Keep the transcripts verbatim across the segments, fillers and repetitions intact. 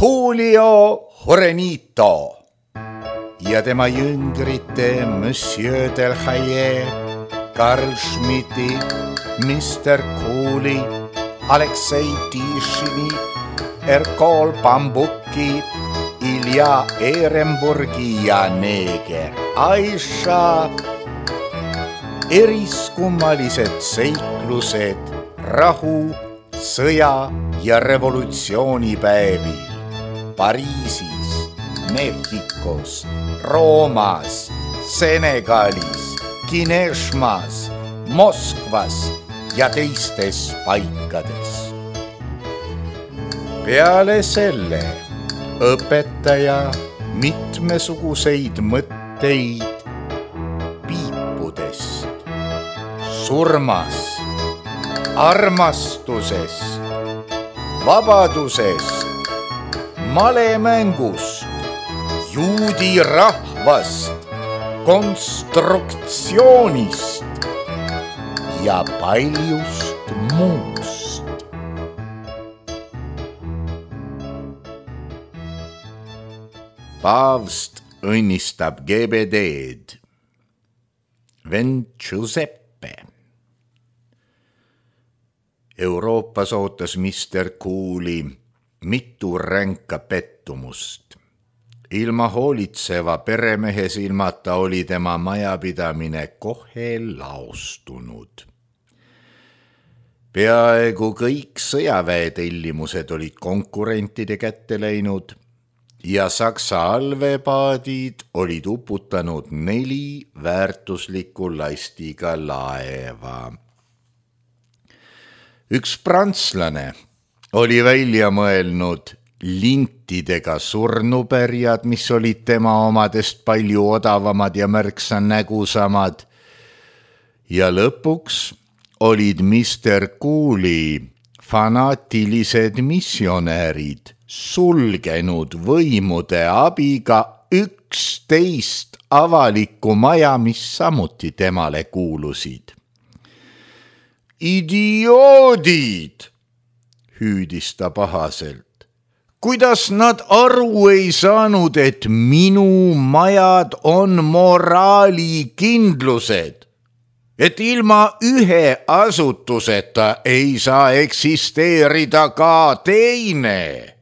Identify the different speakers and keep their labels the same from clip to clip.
Speaker 1: Julio Jurenito ja tema jüngrite Monsieur Delhaye, Karl Schmidti, mister Cooley, Aleksei Tišini, Erkol Bambuki, Ilja Ehrenburgi ja neeger Aisha. Eriskummalised seiklused rahu, sõja ja revolutsioonipäevil Pariisis, Mehhikos, Roomas, Senegalis, Kineshmas, Moskvas ja teistes paikades. Peale selle õpetaja mitmesuguseid mõtteid piipudest, surmast, armastusest, vabadusest, malemängust, juudi rahvast, konstruktsioonist ja paljust muust. Paavst õnnistab G B D-d. Vend Giuseppe. Euroopas ootas mister Cooley mitu ränka pettumust. Ilma hoolitseva peremehe silmata oli tema majapidamine kohe laostunud. Peaaegu kõik sõjaväetellimused olid konkurentide kätte läinud ja Saksa allveepaadid olid uputanud neli väärtusliku lastiga laeva. Üks prantslane oli välja mõelnud lintidega surnupärjad, mis olid tema omadest palju odavamad ja märksa nägusamad. Ja lõpuks olid mister Cooley fanaatilised missionäärid sulgenud võimude abiga üksteist avalikku maja, mis samuti temale kuulusid. Idioodid, hüüdis ta pahaselt. Kuidas nad aru ei saanud, et minu majad on moraalikindlused, et ilma ühe asutuseta ei saa eksisteerida ka teine.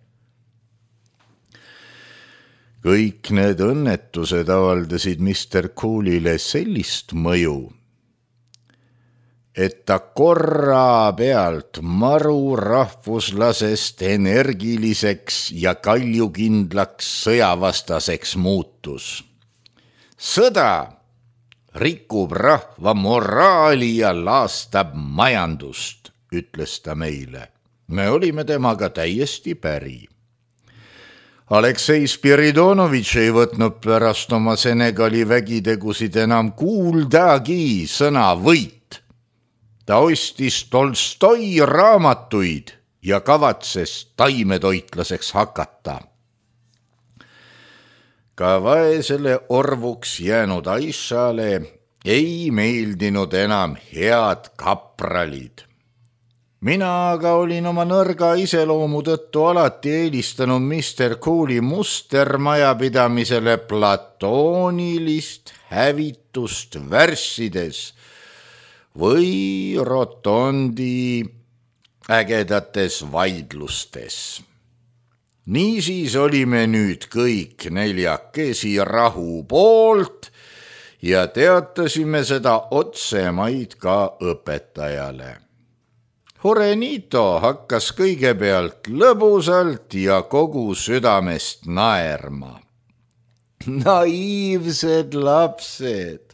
Speaker 1: Kõik need õnnetused avaldasid mister Cooley'le sellist mõju, et ta korra pealt maru rahvuslasest energiliseks ja kaljukindlaks sõjavastaseks muutus. Sõda rikub rahva moraali ja laastab majandust, ütles ta meile. Me olime temaga täiesti päri. Aleksei Spiridonovitš ei võtnud pärast oma Senegali vägitegusid enam kuuldagi sõna võit. Ta ostis Tolstoi raamatuid ja kavatses taimetoitlaseks hakata. Ka vaesele orvuks jäänud Aishale ei meeldinud enam head kapralid. Mina aga olin oma nõrga iseloomu tõttu alati eelistanud mister Cooley mustermajapidamisele platoonilist hävitust värssides või rotondi ägedates vaidlustes. Niisiis olime nüüd kõik neljakesi rahu poolt ja teatasime seda otsemaid ka õpetajale. Jurenito hakkas kõigepealt lõbusalt ja kogu südamest naerma. Naiivsed lapsed!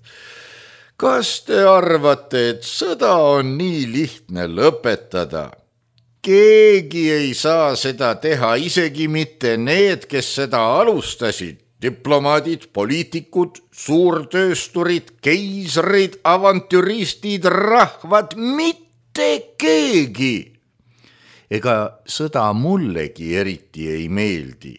Speaker 1: Kas te arvate, et sõda on nii lihtne lõpetada? Keegi ei saa seda teha, isegi mitte need, kes seda alustasid. Diplomaadid, poliitikud, suurtöösturid, keisrid, avantüristid, rahvad, mitte keegi. Ega sõda mullegi eriti ei meeldi.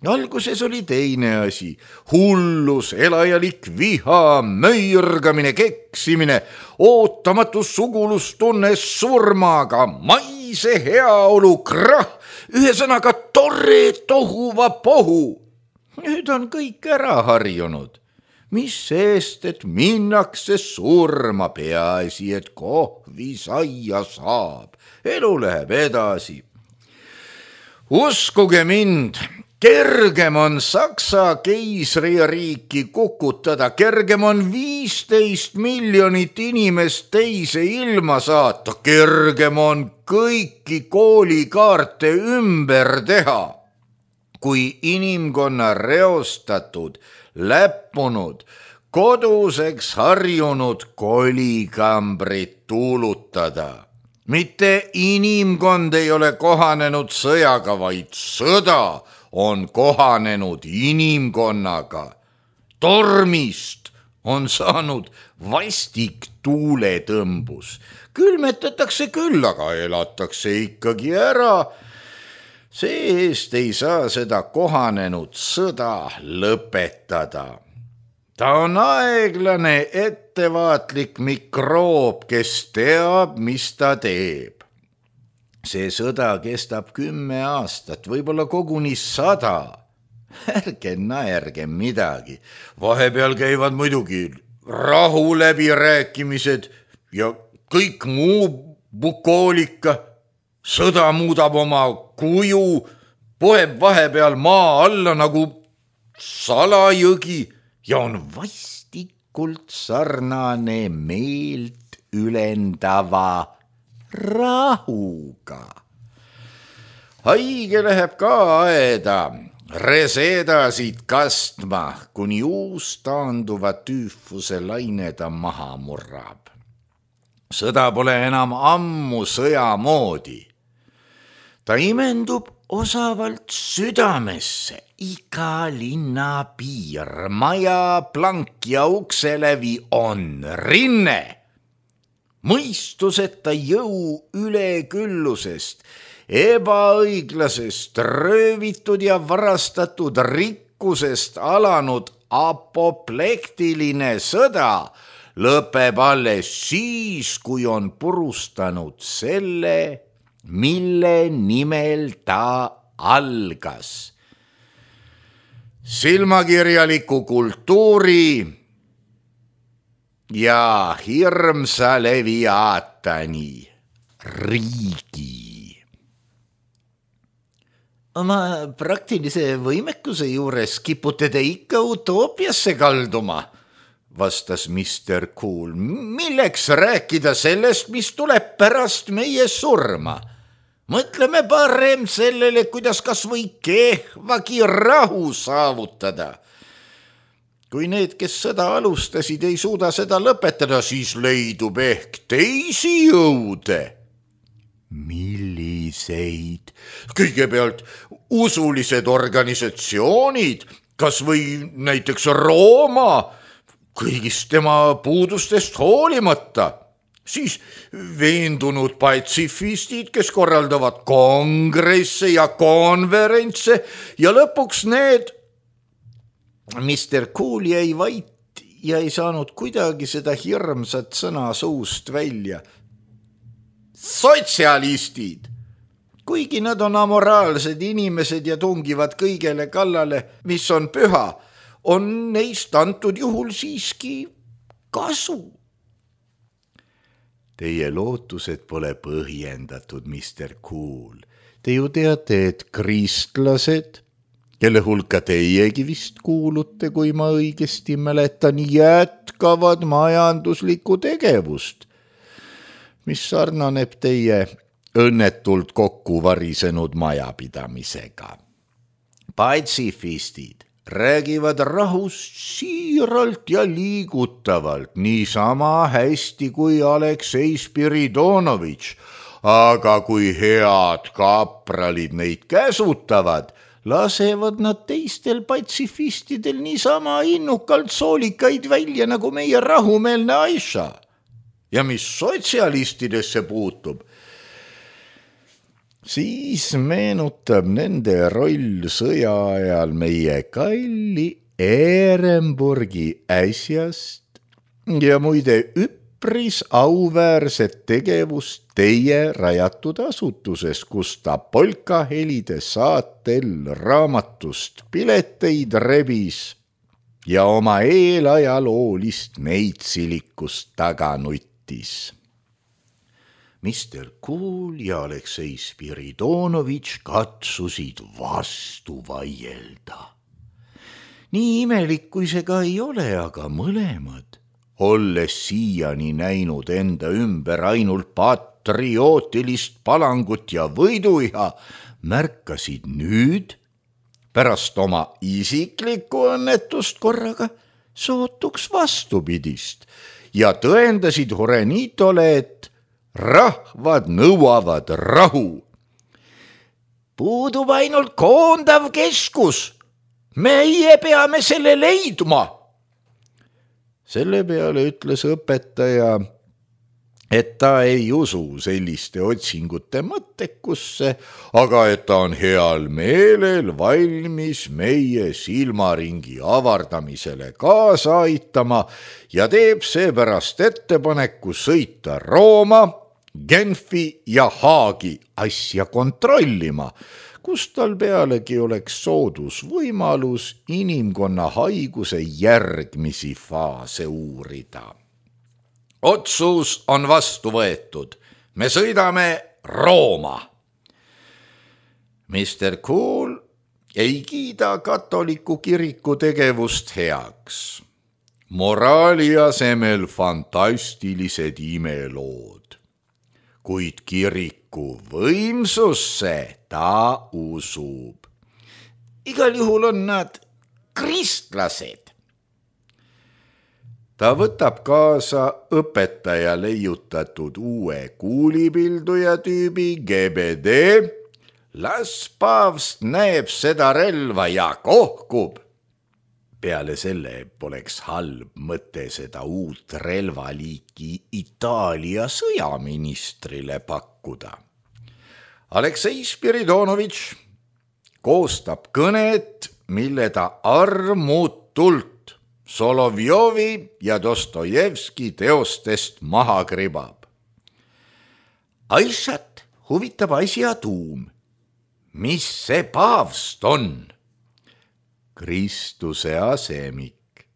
Speaker 1: alguses oli teine asi, hullus, elajalik viha, möirgamine, keksimine, ootamatu sugulustunne surmaga, maise heaolu, krah, ühesõnaga tore tohuva pohu. Nüüd on kõik ära harjunud. Mis seest, et minnakse surma, peaasi, et kohvi saia saab. Elu läheb edasi. Uskuge mind, kergem on Saksa keisririiki kukutada, kergem on viisteist miljonit inimest teise ilma saata, kergem on kõiki koolikaarte ümber teha, kui inimkonna reostatud, läppunud, koduseks harjunud kolikambrit tuulutada. Mitte inimkond ei ole kohanenud sõjaga, vaid sõda on kohanenud inimkonnaga. Tormist on saanud vastik tuuletõmbus. Külmetatakse küll, aga elatakse ikkagi ära. See-eest ei saa seda kohanenud sõda lõpetada. Ta on aeglane, ettevaatlik mikroob, kes teab, mis ta teeb. See sõda kestab kümme aastat, võib-olla koguni sada. Ärge naerge midagi. Vahepeal käivad muidugi rahu läbirääkimised ja kõik muu bukoolika. Sõda muudab oma kuju, poeb vahepeal maa alla nagu salajõgi ja on vastikult sarnane meelt ülendava rahuga. Haige läheb ka aeda, resedasid kastma, kuni uus taanduva tüüfuse laine ta maha murrab. Sõda pole enam ammu sõja moodi. Ta imendub osavalt südamesse, iga linna piir, maja, plank ja ukselevi on rinne. Mõistuseta jõu üleküllusest, ebaõiglasest, röövitud ja varastatud rikkusest alanud apoplektiline sõda lõpeb alles siis, kui on purustanud selle, mille nimel ta algas. Silmakirjaliku kultuuri ja hirmsa leviaatani riigi. Oma praktilise võimekuse juures kipute te ikka utoopiasse kalduma, vastas mister Cool. Milleks rääkida sellest, mis tuleb pärast meie surma? Mõtleme parem sellele, kuidas kas või kehvagi rahu saavutada. Kui need, kes sõda alustasid, ei suuda seda lõpetada, siis leidub ehk teisi jõude. Milliseid? Kõigepealt usulised organisatsioonid, kas või näiteks Rooma, kõigist tema puudustest hoolimata. Siis veendunud patsifistid, kes korraldavad kongresse ja konverentse ja lõpuks need. mister Cool jäi vait ja ei saanud kuidagi seda hirmsat sõna suust välja. Sotsialistid, kuigi nad on amoraalsed inimesed ja tungivad kõigele kallale, mis on püha, on neist antud juhul siiski kasu. Teie lootused pole põhjendatud, mister Cool. Te ju teate, et kristlased, kelle hulka teiegi vist kuulute, kui ma õigesti mäletan, jätkavad majanduslikku tegevust, mis sarnaneb teie õnnetult kokku varisenud majapidamisega. Patsifistid räägivad rahust siiralt ja liigutavalt, niisama hästi kui Aleksei Spiridonovitš, aga kui head kapralid neid käsutavad, lasevad nad teistel patsifistidel niisama innukalt soolikaid välja nagu meie rahumeelne Aisha. Ja mis sotsialistidesse puutub, Siis meenutab nende roll sõja ajal meie kalli Ehrenburgi äsjast ja muide üpris auväärset tegevust teie rajatud asutuses, kus ta polkahelide saatel raamatust pileteid rebis ja oma eelajaloolist neitsilikust taga nuttis. mister Cool ja Aleksei Spiridonovitš katsusid vastu vaielda. Nii imelik, kui see ka ei ole, aga mõlemad, olles siiani näinud enda ümber ainult patriootilist palangut ja võiduiha, märkasid nüüd, pärast oma isiklikku õnnetust korraga, sootuks vastupidist ja tõendasid Horenitole, et rahvad nõuavad rahu. Puudub ainult koondav keskus. Meie peame selle leidma. Selle peale ütles õpetaja, et ta ei usu selliste otsingute mõttekusse, aga et ta on heal meelel valmis meie silmaringi avardamisele kaasa aitama ja teeb seepärast ettepaneku sõita Rooma, Genfi ja Haagi asja kontrollima, kus tal pealegi oleks soodus võimalus inimkonna haiguse järgmisi faase uurida. Otsus on vastu võetud. Me sõidame Rooma. mister Cool ei kiida katoliku kiriku tegevust heaks. Moraali asemel fantastilised imelood. Kuid kiriku võimsusse ta usub. Igal juhul on nad kristlased. Ta võtab kaasa õpetaja leiutatud uue kuulipilduja tüübi G B D. Las paavst näeb seda relva ja kohkub. Peale selle poleks halb mõte seda uut relvaliiki Itaalia sõjaministrile pakkuda. Aleksei Spiridonovitš koostab kõnet, mille ta armutult Solovjovi ja Dostojevski teostest maha kribab. Aisat huvitab asja tuum. Mis see paavst on? Kristuse asemik.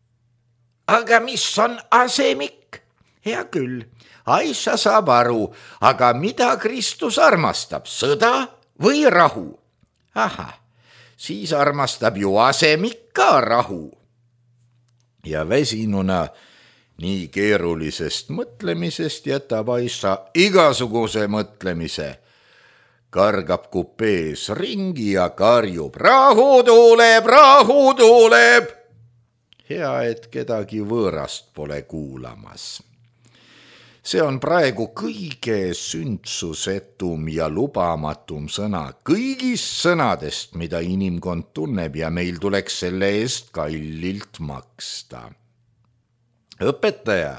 Speaker 1: Aga mis on asemik? Hea küll, Aisha saab aru, aga mida Kristus armastab, sõda või rahu? Ahah, siis armastab ju asemik ka rahu. Ja väsinuna nii keerulisest mõtlemisest jätab Aisha igasuguse mõtlemise. Kargab kupees ringi ja karjub, rahu tuuleb, rahu tuuleb. Hea, et kedagi võõrast pole kuulamas. See on praegu kõige sündsusetum ja lubamatum sõna kõigist sõnadest, mida inimkond tunneb ja meil tuleks selle eest kallilt maksta. Õpetaja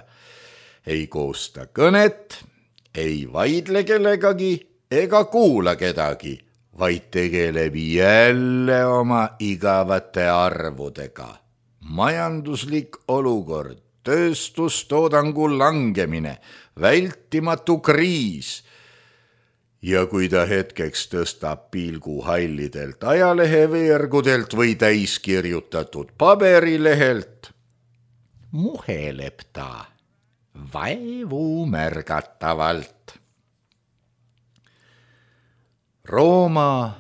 Speaker 1: ei koosta kõnet, ei vaidle kellegagi, ega kuula kedagi, vaid tegeleb jälle oma igavate arvudega. Majanduslik olukord, tööstustoodangu langemine, vältimatu kriis. Ja kui ta hetkeks tõstab pilgu hallidelt ajaleheveergudelt või täiskirjutatud paberilehelt, muheleb ta vaevu märgatavalt. Rooma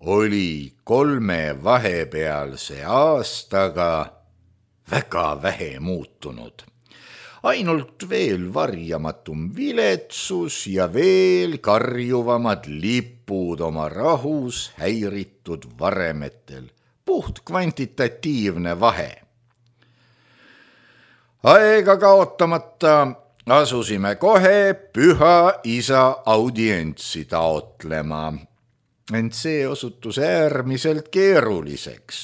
Speaker 1: oli kolme vahepealse aastaga väga vähe muutunud. Ainult veel varjamatum viletsus ja veel karjuvamad lipud oma rahus häiritud varemetel. Puht kvantitatiivne vahe. Aega kaotamata asusime kohe püha isa audientsi taotlema, ent see osutus äärmiselt keeruliseks.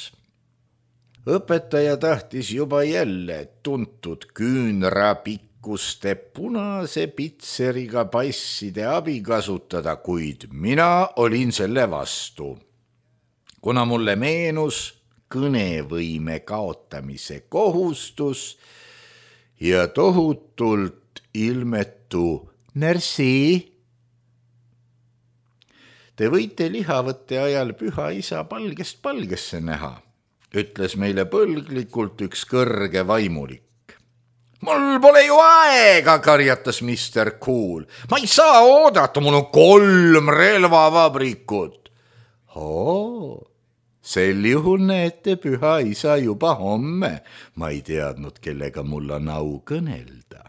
Speaker 1: Õpetaja tahtis juba jälle tuntud küünra pikku nikuste punase pitseriga passide abi kasutada, kuid mina olin selle vastu, kuna mulle meenus kõnevõime kaotamise kohustus ja tohutult ilmetu närsi. Te võite lihavõtte ajal püha isa palgest palgesse näha, ütles meile põlglikult üks kõrge vaimulik. Mul pole ju aega, karjatas mister Cool. Ma ei saa oodata, mul on kolm relvavabrikut. Oo, sel juhul näete püha isa juba homme. Ma ei teadnud, kellega mul on au kõnelda.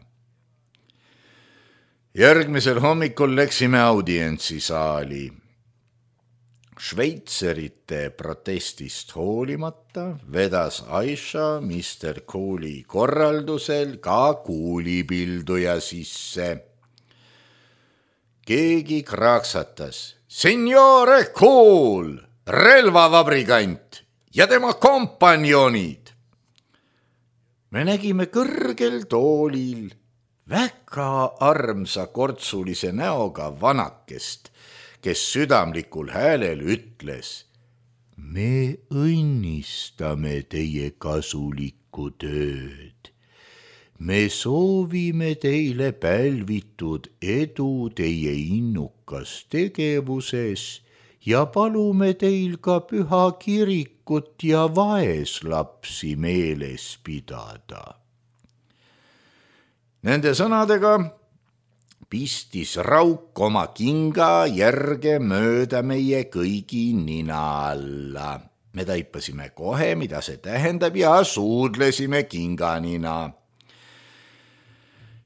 Speaker 1: Järgmisel hommikul läksime audientsi saali. Šveitserite protestist hoolimata vedas Aisha mister Cooli korraldusel ka kuulipilduja sisse. Keegi kraaksatas, Signore Cool, relvavabrikant ja tema kompanjonid. Me nägime kõrgel toolil väga armsa kortsulise näoga vanakest, kes südamlikul häälel ütles, me õnnistame teie kasulikku tööd. Me soovime teile pälvitud edu teie innukas tegevuses ja palume teil ka püha kirikut ja vaeslapsi meeles pidada. Nende sõnadega pistis rauk oma kinga järge mööda meie kõigi nina alla. Me taipasime kohe, mida see tähendab ja suudlesime kinganina.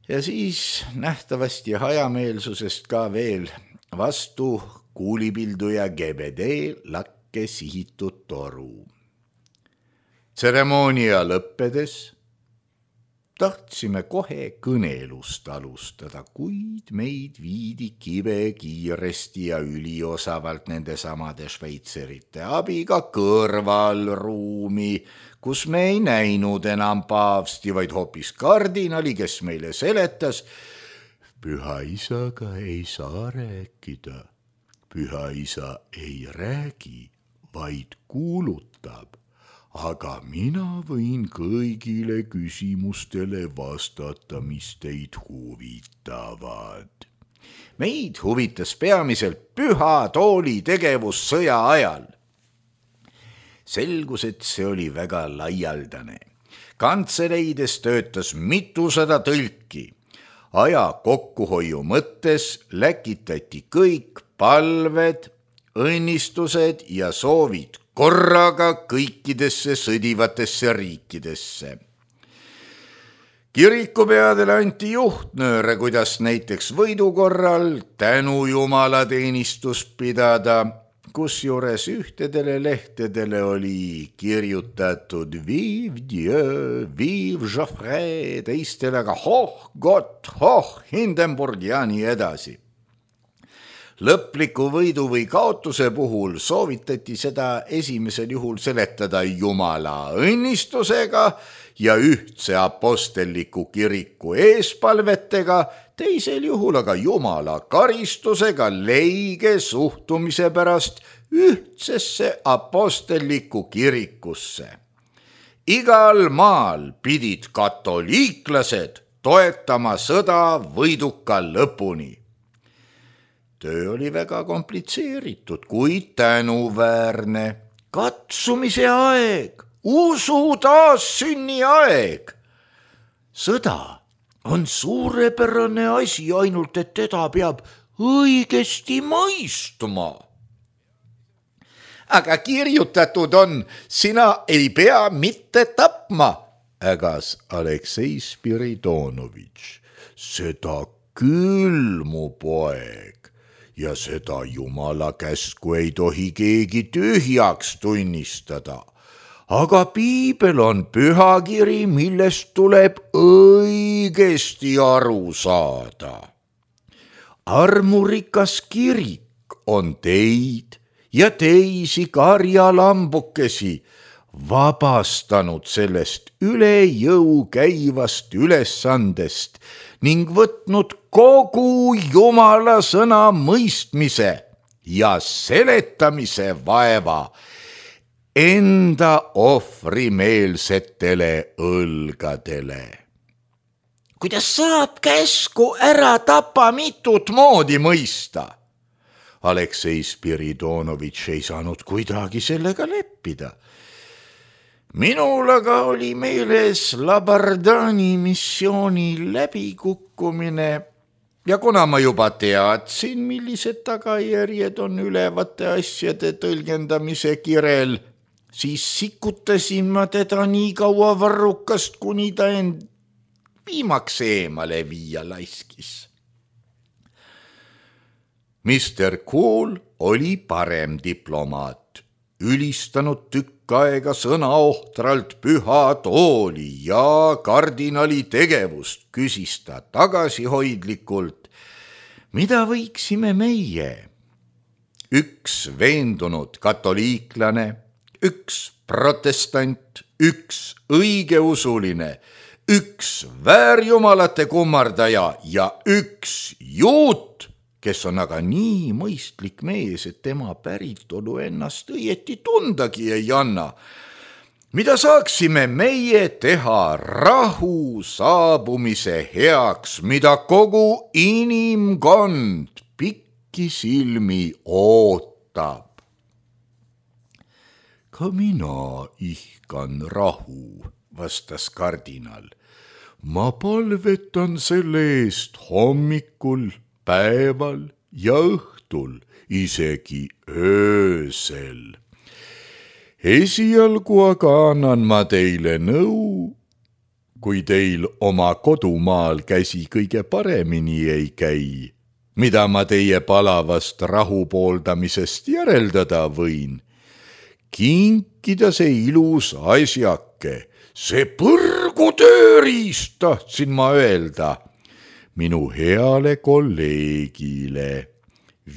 Speaker 1: Ja siis nähtavasti hajameelsusest ka veel vastu kuulipilduja G B D lakke sihitud toru. Tseremoonia lõppedes tahtsime kohe kõnelust alustada, kuid meid viidi kive kiiresti ja üliosavalt nende samade šveitserite abiga kõrvalruumi, kus me ei näinud enam paavsti, vaid hoopis kardinali, kes meile seletas, püha isaga ei saa rääkida. Püha isa ei räägi, vaid kuulutab. Aga mina võin kõigile küsimustele vastata, mis teid huvitavad. Meid huvitas peamiselt püha tooli tegevus sõja ajal. Selgus, et see oli väga laialdane. Kantseleides töötas mitusada tõlki. Aja kokkuhoiu mõttes läkitati kõik palved, õnnistused ja soovid korraga kõikidesse sõdivatesse riikidesse. Kirikupeadele anti juhtnööre, kuidas näiteks võidu korral tänu Jumala teenistust pidada, kusjuures ühtedele lehtedele oli kirjutatud Vive Dieu, Vive Joffre, teistele aga Hoch Gott, Hoch Hindenburg ja nii edasi. Lõpliku võidu või kaotuse puhul soovitati seda esimesel juhul seletada Jumala õnnistusega ja ühtse apostelliku kiriku eespalvetega, teisel juhul aga Jumala karistusega leige suhtumise pärast ühtsesse apostelliku kirikusse. Igal maal pidid katoliiklased toetama sõda võiduka lõpuni. Töö oli väga komplitseeritud, kuid tänuväärne. Katsumise aeg, usu taas sünni aeg. Sõda on suurepärane asi, ainult et teda peab õigesti mõistma. Aga kirjutatud on, sina ei pea mitte tapma, ägas Aleksei Spiridonovitš. Seda küll, mu poeg. Ja seda Jumala käsku ei tohi keegi tühjaks tunnistada. Aga piibel on pühakiri, millest tuleb õigesti aru saada. Armurikas kirik on teid ja teisi karjalambukesi vabastanud sellest üle jõu käivast ülesandest, ning võtnud kogu Jumala sõna mõistmise ja seletamise vaeva enda ohvrimeelsetele õlgadele. Kuidas saab käsku ära tapa mitut moodi mõista? Aleksei Spiridonovitš ei saanud kuidagi sellega leppida. Minul aga oli meeles Labardani missiooni läbikukkumine ja kuna ma juba teadsin, millised tagajärjed on ülevate asjade tõlgendamise kirel, siis sikutasin ma teda nii kaua varrukast, kuni ta end viimaks eemale viia laiskis. mister Cool oli parem diplomaat, ülistanud tükk aega sõnaohtralt püha tooli ja kardinali tegevust, küsis ta tagasihoidlikult, mida võiksime meie? Üks veendunud katoliiklane, üks protestant, üks õigeusuline, üks väärjumalate kummardaja ja üks juut, kes on aga nii mõistlik mees, et tema päritolu ennast õieti tundagi ei anna. Mida saaksime meie teha rahu saabumise heaks, mida kogu inimkond pikki silmi ootab? Ka mina ihkan rahu, vastas kardinal. Ma palvetan selle eest hommikul, päeval ja õhtul, isegi öösel. Esialgu aga annan ma teile nõu, kui teil oma kodumaal käsi kõige paremini ei käi, mida ma teie palavast rahu pooldamisest järeldada võin. Kinkida see ilus asjake, see põrgu tööriist, tahtsin ma öelda, minu heale kolleegile,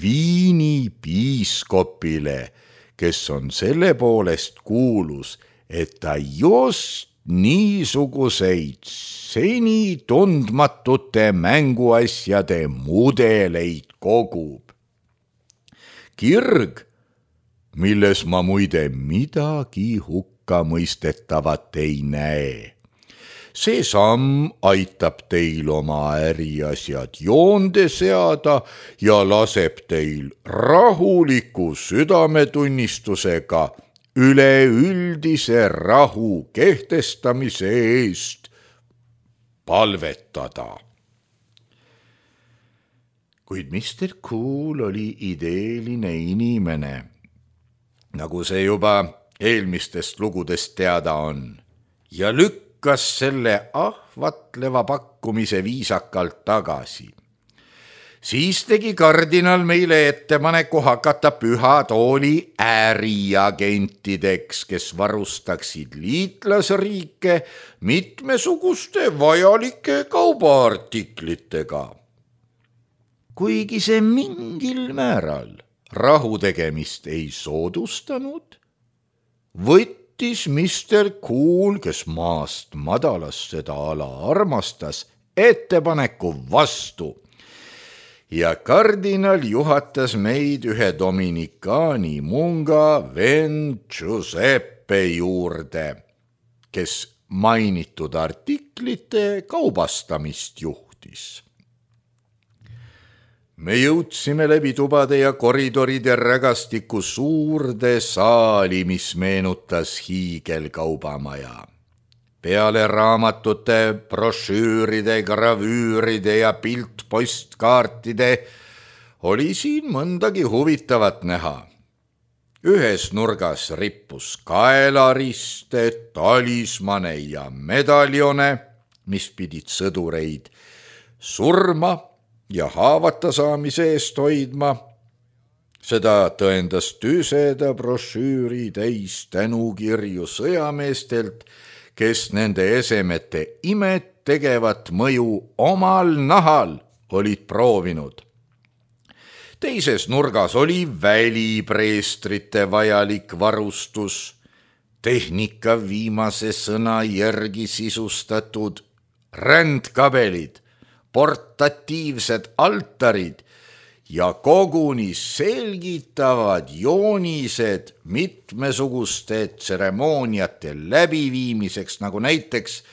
Speaker 1: Viini piiskopile, kes on selle poolest kuulus, et ta just niisuguseid seni tundmatute mänguasjade mudeleid kogub. Kirg, milles ma muide midagi hukka mõistetavat ei näe. See samm aitab teil oma äriasjad joonde seada ja laseb teil rahuliku südametunnistusega üleüldise rahu kehtestamise eest palvetada. Kuid mister Cool oli ideeline inimene, nagu see juba eelmistest lugudest teada on, ja lükk kas selle ahvatleva pakkumise viisakalt tagasi. Siis tegi kardinal meile ettepaneku hakata püha tooli äriagentideks, kes varustaksid liitlasriike mitmesuguste vajalike kaubaartiklitega. Kuigi see mingil määral rahu tegemist ei soodustanud, võttis mister Cool, kes maast madalast seda ala armastas, ettepaneku vastu ja kardinal juhatas meid ühe dominikaani munga vend Giuseppe juurde, kes mainitud artiklite kaubastamist juhtis. Me jõudsime läbi tubade ja koridoride rägastiku suurde saali, mis meenutas hiigelkaubamaja. Peale raamatute, brošüüride, gravüüride ja piltpostkaartide oli siin mõndagi huvitavat näha. Ühes nurgas rippus kaelariste, talismane ja medaljone, mis pidid sõdureid surma ja haavata saamise eest hoidma. Seda tõendas tüseda brošüüri täis tänukirju sõjameestelt, kes nende esemete imet tegevat mõju omal nahal olid proovinud. Teises nurgas oli välipreestrite vajalik varustus, tehnika viimase sõna järgi sisustatud rändkabelid, portatiivsed altarid ja koguni selgitavad joonised mitmesuguste tseremooniate läbiviimiseks, nagu näiteks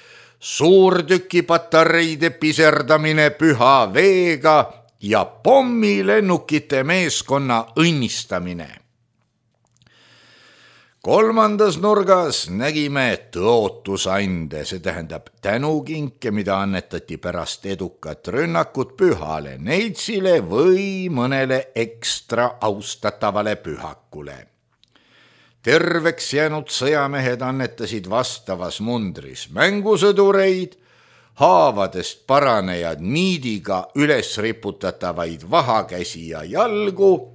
Speaker 1: suurtükipatareide piserdamine püha veega ja pommilennukite meeskonna õnnistamine. Kolmandas nurgas nägime tõotusande, see tähendab tänukinke, mida annetati pärast edukat rünnakut pühale neitsile või mõnele ekstra austatavale pühakule. Terveks jäänud sõjamehed annetasid vastavas mundris mängusõdureid, haavadest paranejad niidiga üles riputatavaid vahakäsi ja jalgu,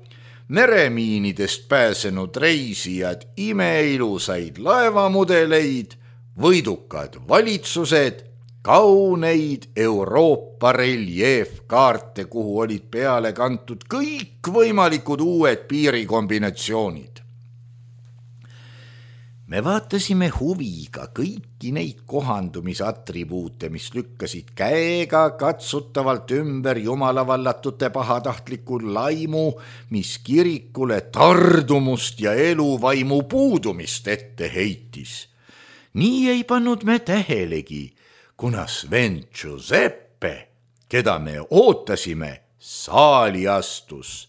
Speaker 1: meremiinidest pääsenud reisijad imeilusaid laevamudeleid, võidukad valitsused, kauneid Euroopa reljeefkaarte, kuhu olid peale kantud kõikvõimalikud uued piirikombinatsioonid. Me vaatasime huviga kõiki neid kohandumisatribuute, mis lükkasid käega katsutavalt ümber jumalavallatud pahatahtliku laimu, mis kirikule tardumust ja eluvaimu puudumist ette heitis. Nii ei pannud me tähelegi, kuna Sven Giuseppe, keda me ootasime, saali astus.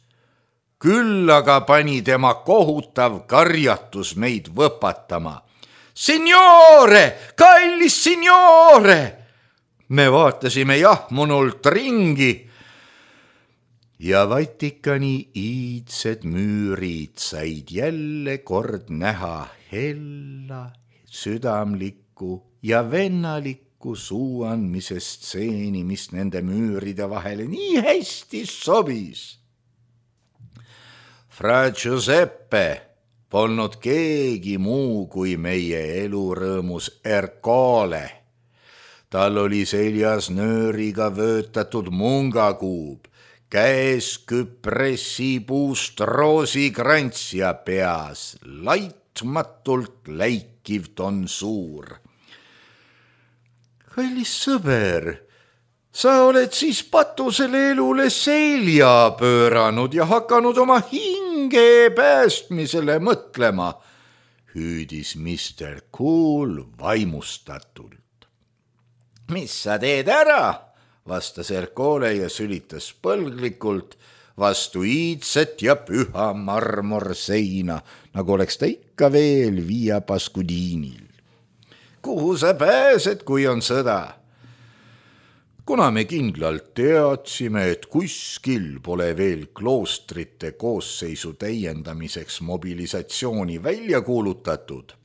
Speaker 1: Küll aga pani tema kohutav karjatus meid võpatama. Signore, kallis signore! Me vaatasime jahmunult ringi ja Vatikani iidsed müürid said jälle kord näha hella, südamlikku ja vennalikku suuandmise stseeni, mis nende müüride vahele nii hästi sobis. Fra Giuseppe polnud keegi muu kui meie elurõõmus Ercole. Tal oli seljas nööriga vöötatud mungakuub, käes küpressipuust roosikrants ja peas laitmatult läikiv tonsuur. Kallis sõber, sa oled siis patusele elule selja pööranud ja hakanud oma hinge päästmisele mõtlema, hüüdis mister Cool vaimustatult. Mis sa teed ära? Vastas Ercole ja sülitas põlglikult vastu iidset ja püha marmorseina, nagu oleks ta ikka veel Via Pascudiinil. Kuhu sa pääsed, kui on sõda? Kuna me kindlalt teadsime, et kuskil pole veel kloostrite koosseisu täiendamiseks mobilisatsiooni välja kuulutatud,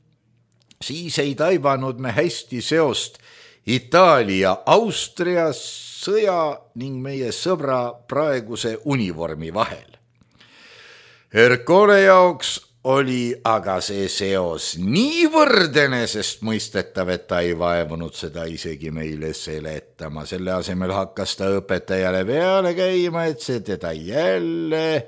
Speaker 1: siis ei taibanud me hästi seost Itaalia, Austria sõja ning meie sõbra praeguse univormi vahel. Ercole jaoks oli aga see seos niivõrd enesestmõistetav, et ta ei vaevunud seda isegi meile seletama. Selle asemel hakkas ta õpetajale peale käima, et see teda jälle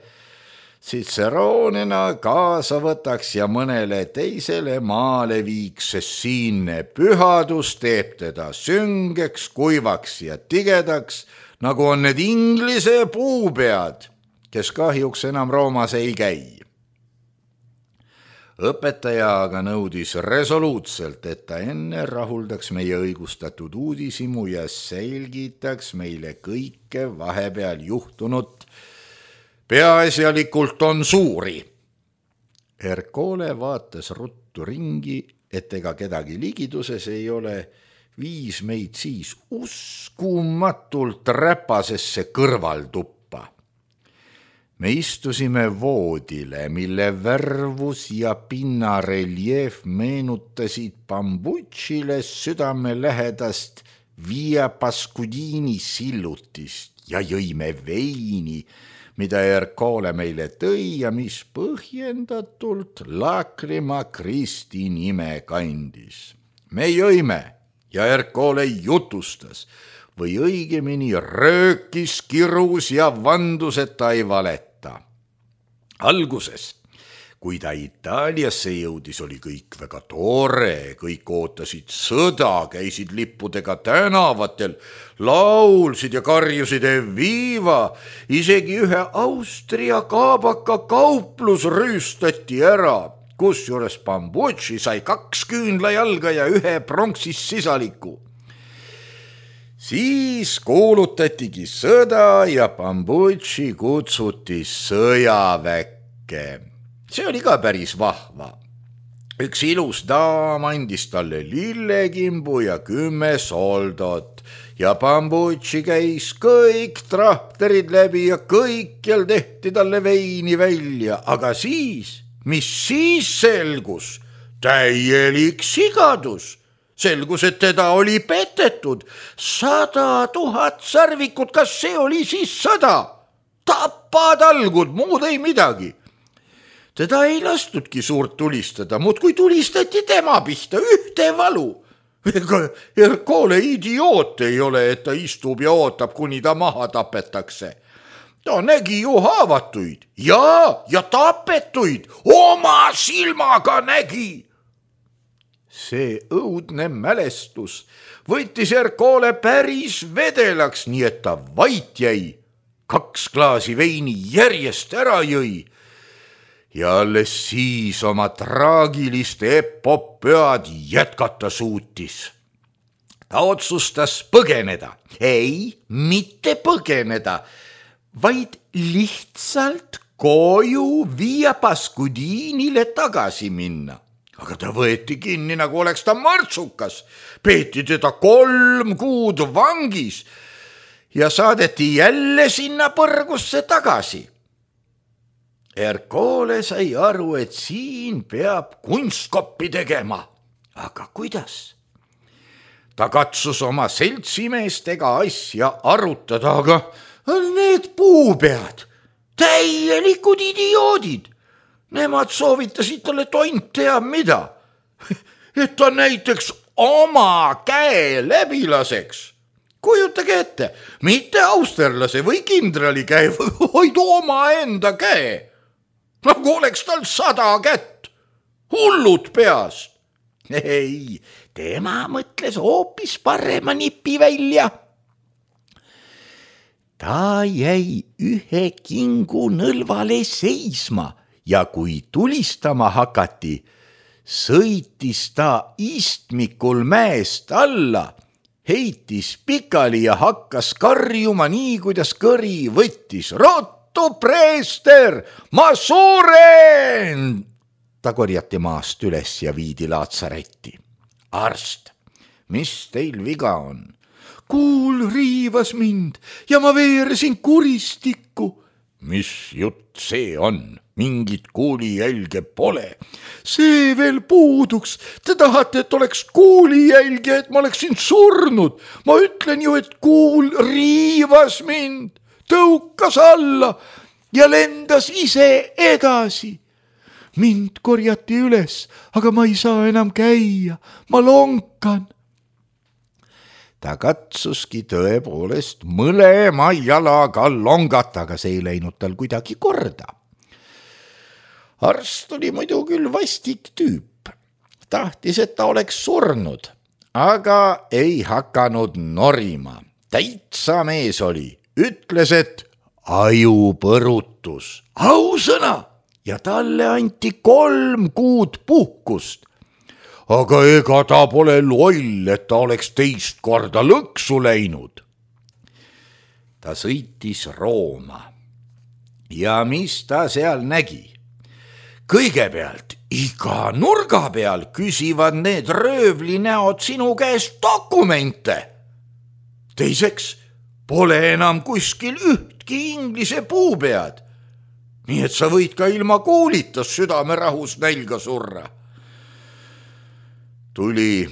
Speaker 1: Ciceronena kaasa võtaks ja mõnele teisele maale viiks, sest siinne pühadus teeb teda süngeks, kuivaks ja tigedaks, nagu on need inglise puupead, kes kahjuks enam Roomas ei käi. Õpetaja aga nõudis resoluutselt, et ta enne rahuldaks meie õigustatud uudisimu ja selgitaks meile kõike vahepeal juhtunut, peaasjalikult on suuri. Ercole vaatas ruttu ringi, et ega kedagi ligiduses ei ole, viis meid siis uskumatult räpasesse kõrvaltuppa. Me istusime voodile, mille värvus ja pinnareljeef meenutasid Bambucile südame lähedast Via Pascudiini sillutist ja jõime veini, mida Ercole meile tõi ja mis põhjendatult Lacrima Christi nime kandis. Me jõime ja Ercole jutustas või õigemini röökis, kirus ja vandus, et ta ei valeta. Alguses, kui ta Itaaliasse jõudis, oli kõik väga tore, kõik ootasid sõda, käisid lippudega tänavatel, laulsid ja karjusid Evviva, isegi ühe Austria kaabaka kauplus rüüstati ära, kusjuures Bambucci sai kaks küünlajalga ja ühe pronksis sisaliku. Siis kuulutatigi sõda ja Bambucci kutsuti sõjaväkke. See oli ka päris vahva. Üks ilus daam andis talle lillekimbu ja kümme soldot ja Bambucci käis kõik trahterid läbi ja kõikjal tehti talle veini välja, aga siis, mis siis selgus? Täielik sigadus. Selgus, et teda oli petetud. Sada tuhat sarvikut, kas see oli siis sada? Tapatalgud, muud ei midagi. Teda ei lastudki suurt tulistada, muud kui tulistati tema pihta, ühte valu. Ega Ercole idioot ei ole, et ta istub ja ootab, kuni ta maha tapetakse. Ta nägi ju haavatuid ja, ja tapetuid, oma silmaga nägi. See õudne mälestus võttis Ercole päris vedelaks, nii et ta vait jäi. Kaks klaasi veini järjest ära jõi. Ja alles siis oma traagilist epopöad jätkata suutis. Ta otsustas põgeneda. Ei, mitte põgeneda, vaid lihtsalt koju Via Pascudiinile tagasi minna. Aga ta võeti kinni, nagu oleks ta martsukas. Peeti teda kolm kuud vangis ja saadeti jälle sinna põrgusse tagasi. Ercole sai aru, et siin peab kunstkoppi tegema. Aga kuidas? Ta katsus oma seltsimeestega asja arutada, aga need puupead, täielikud idioodid. Nemad soovitasid talle tont teab mida, et ta näiteks oma käe läbi laseks. Kujutage ette, mitte austerlase või kindrali käe, vaid oma enda käe. Nagu oleks tal sada kätt, hullud peast. Ei, tema mõtles hoopis parema nipi välja. Ta jäi ühe kingu nõlvale seisma ja kui tulistama hakati, sõitis ta istmikul mäest alla, heitis pikali ja hakkas karjuma nii, kuidas kõri võttis. Rottu preester, ma suren! Ta korjati maast üles ja viidi laatsaretti. Arst, mis teil viga on? Kuul riivas mind ja ma veeresin kuristikku. Mis jutt see on? Mingit kuulijälge pole. See veel puuduks. Te tahate, et oleks kuulijälge, et ma oleksin surnud. Ma ütlen ju, et kuul riivas mind, tõukas alla ja lendas ise edasi. Mind korjati üles, aga ma ei saa enam käia. Ma lonkan. Ta katsuski tõepoolest mõlema jalaga longata, aga see ei läinud tal kuidagi korda. Arst oli muidu küll vastik tüüp. Tahtis, et ta oleks surnud, aga ei hakanud norima. Täitsa mees oli. Ütles, et ajupõrutus. Ausõna! Ja talle anti kolm kuud puhkust. Aga ega ta pole loll, et ta oleks teist korda lõksu läinud. Ta sõitis Rooma. Ja mis ta seal nägi? Kõigepealt iga nurga peal küsivad need röövlinäod sinu käest dokumente. Teiseks pole enam kuskil ühtki inglise puupead. Nii et sa võid ka ilma kuulitas südamerahus nälga surra. Tuli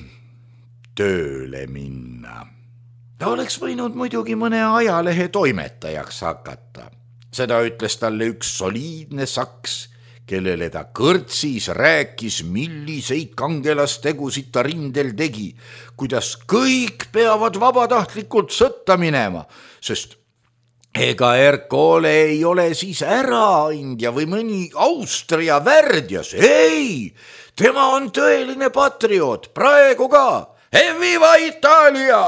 Speaker 1: tööle minna. Ta oleks võinud muidugi mõne ajalehe toimetajaks hakata. Seda ütles talle üks soliidne saks, kellele ta kõrtsis rääkis, milliseid kangelastegusid ta rindel tegi, kuidas kõik peavad vabatahtlikult sõtta minema, sest ega Erkole ei ole siis äraandja või mõni Austria värdjas, ei, tema on tõeline patrioot, praegu ka, Viva Italia!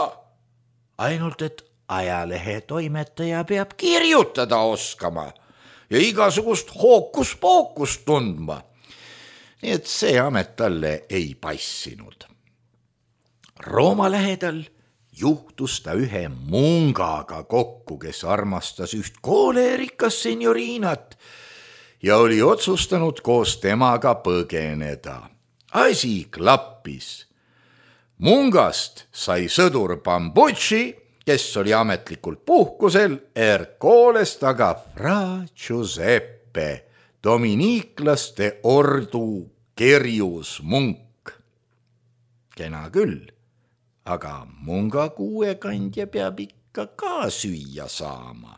Speaker 1: Ainult, et ajalehe toimetaja peab kirjutada oskama ja igasugust hookus-pookust tundma. Nii et see amet talle ei passinud. Rooma lähedal juhtus ta ühe mungaga kokku, kes armastas üht koolerikas senioriinat ja oli otsustanud koos temaga põgeneda. Asi klappis. Mungast sai sõdur Bambucci, kes oli ametlikult puhkusel, Ercolest aga Fra Giuseppe, dominiiklaste ordu kerjus munk. Kena küll. Aga munga kuuekandja peab ikka ka süüa saama.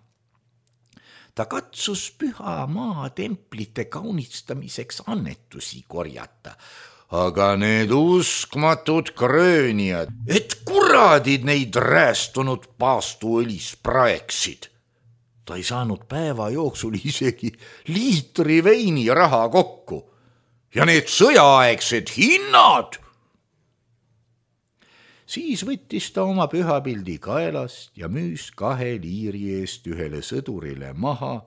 Speaker 1: Ta katsus püha maa templite kaunistamiseks annetusi korjata, aga need uskmatud kröönijad, et kuradid neid räästunud paastuõlis praeksid. Ta ei saanud päeva jooksul isegi liitri veini raha kokku ja need sõjaaegsed hinnad. Siis võttis ta oma pühapildi kaelast ja müüs kahe liiri eest ühele sõdurile maha,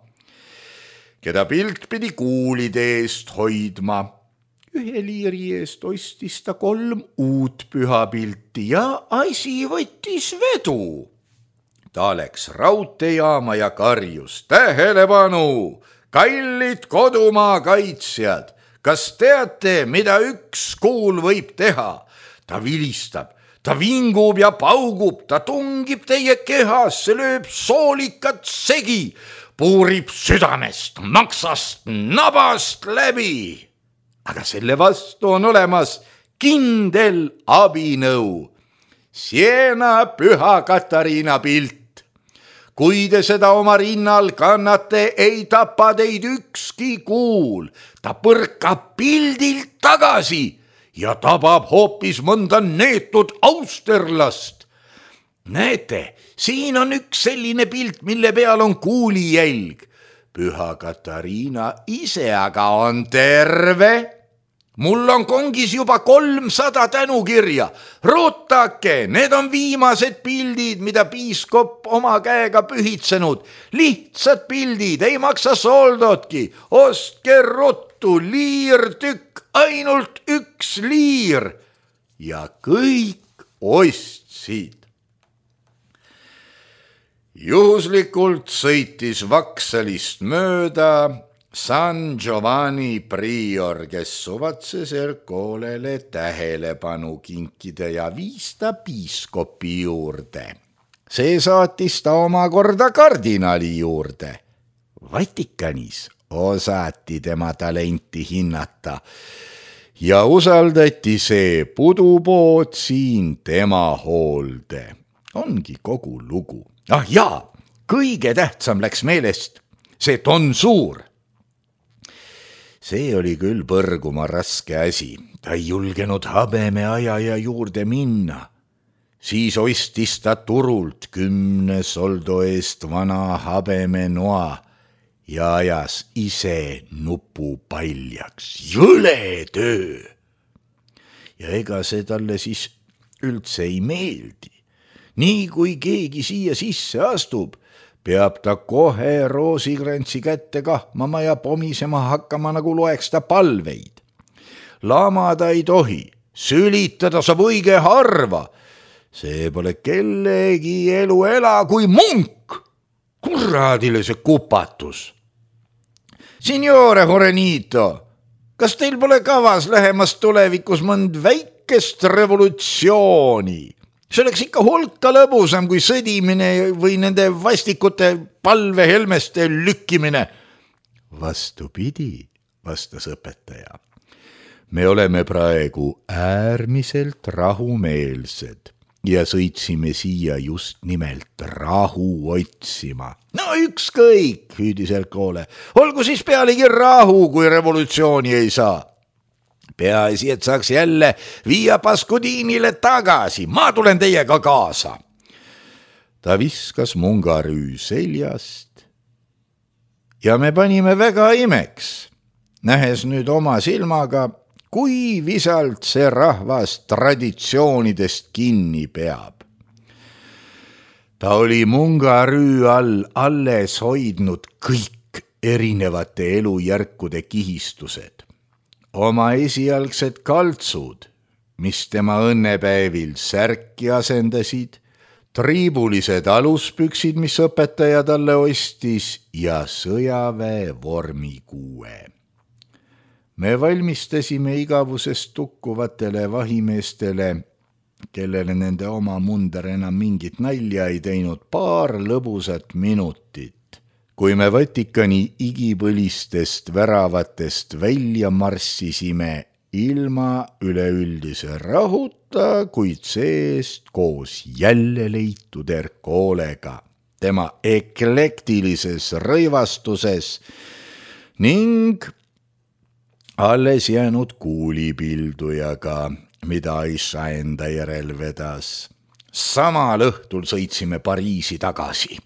Speaker 1: keda pilt pidi kuulide eest hoidma. Ühe liiri eest ostis ta kolm uut pühapilti ja asi võttis vedu. Ta läks raudteejaama ja karjus, tähelepanu, kallid kodumaa kaitsjad, kas teate, mida üks kuul võib teha? Ta vilistab. Ta vingub ja paugub, ta tungib teie kehasse, lööb soolikat segi, puurib südamest, maksast, nabast läbi. Aga selle vastu on olemas kindel abinõu. Siena püha Katariina pilt. Kui te seda oma rinnal kannate, ei tapa teid ükski kuul. Ta põrkab pildilt tagasi ja tabab hoopis mõnda neetud austerlast. Näete, siin on üks selline pilt, mille peal on kuulijälg. Püha Katariina ise aga on terve. Mul on kongis juba kolmsada tänukirja. Ruutake, need on viimased pildid, mida piiskop oma käega pühitsenud. Lihtsad pildid, ei maksa soldotki. Ostke ruttu, liirtükk. Ainult üks liir ja kõik ostsid. Juhuslikult sõitis Vaksalist mööda San Giovanni prior, kes suvatses Ercolele tähelepanu kinkida ja viis ta piiskopi juurde. See saatis ta omakorda kardinali juurde. Vatikanis osati tema talenti hinnata ja usaldati see pudupood siin tema hoolde. Ongi kogu lugu. Ah jaa, kõige tähtsam läks meelest, see tonsuur. See oli küll põrguma raske asi. Ta ei julgenud habemeajaja juurde minna. Siis ostis ta turult kümne soldo eest vana habemenoa ja ajas ise nupu paljaks. Jõle töö! Ja ega see talle siis üldse ei meeldi. Nii kui keegi siia sisse astub, peab ta kohe roosikrantsi kätte kahmama ja pomisema hakkama, nagu loeks ta palveid. Lamada ei tohi, sülitada saab õige harva. See pole kellegi elu ela kui munk. Kuradile see kupatus. Signore Horenito, kas teil pole kavas lähemas tulevikus mõnd väikest revolutsiooni? See oleks ikka hulka lõbusam kui sõdimine või nende vastikute palvehelmeste lükkimine. Vastupidi, vastas õpetaja. Me oleme praegu äärmiselt rahumeelsed ja sõitsime siia just nimelt rahu otsima. No ükskõik, hüüdis Ercole. Olgu siis pealegi rahu, kui revolutsiooni ei saa. Peaasi, et saaks jälle viia Pascudiinile tagasi. Ma tulen teiega kaasa. Ta viskas mungarüü seljast ja me panime väga imeks, nähes nüüd oma silmaga, kui visalt see rahvas traditsioonidest kinni peab. Ta oli mungarüü all alles hoidnud kõik erinevate elujärkude kihistused, oma esialgsed kaltsud, mis tema õnnepäevil särki asendasid, triibulised aluspüksid, mis õpetaja talle ostis ja sõjaväe vormikuue. Me valmistasime igavusest tukkuvatele vahimeestele, kellele nende oma munder enam mingit nalja ei teinud, paar lõbusat minutit, kui me Vatikani igipõlistest väravatest välja marssisime ilma üleüldise rahuta, kuid seest koos jälle leitud Ercolega, tema eklektilises rõivastuses ning alles jäänud kuulipildujaga, mida Aisha enda järel vedas. Samal õhtul sõitsime Pariisi tagasi.